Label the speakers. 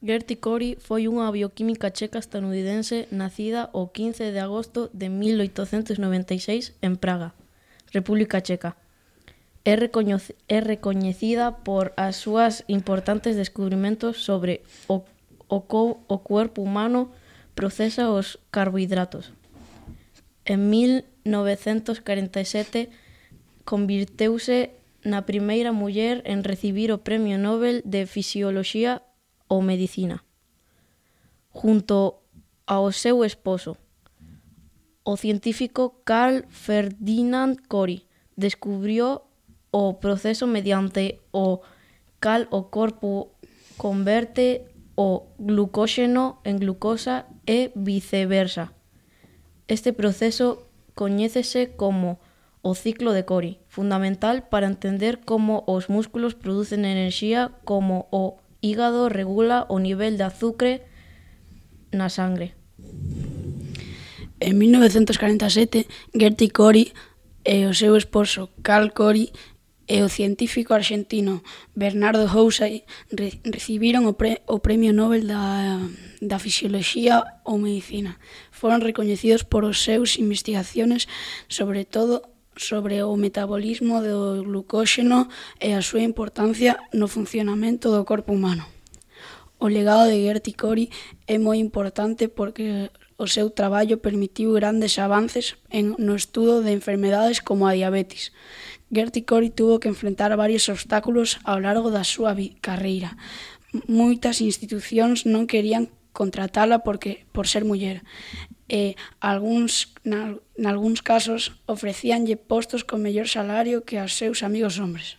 Speaker 1: Gertie Cori foi unha bioquímica checa estadounidense nacida o 15 de agosto de 1896 en Praga, República Checa. É recoñecida por as súas importantes descubrimentos sobre o corpo humano procesa os carbohidratos. En 1947 convirteuse na primeira muller en recibir o Premio Nobel de Fisioloxía ou Medicina. Junto ao seu esposo, o científico Carl Ferdinand Cori descubriu o proceso mediante o cal o corpo converte o glucóxeno en glucosa e viceversa. Este proceso coñécese como o ciclo de Cori, fundamental para entender como os músculos producen enerxía, como o hígado regula o nivel de azucre na sangre.
Speaker 2: En 1947, Gertie Cori e o seu esposo Carl Cori e o científico arxentino Bernardo Houssay recibiron o Premio Nobel da Fisioloxía ou Medicina. Foron recoñecidos por os seus investigaciones sobre todo sobre o metabolismo do glucóxeno e a súa importancia no funcionamento do corpo humano. O legado de Gertie Cori é moi importante porque o seu traballo permitiu grandes avances no estudo de enfermedades como a diabetes. Gertie Cori tuvo que enfrentar varios obstáculos ao largo da súa carreira. Moitas institucións non querían contratala por ser muller e nalgúns casos ofrecíanlle postos con mellor salario que aos seus amigos hombres.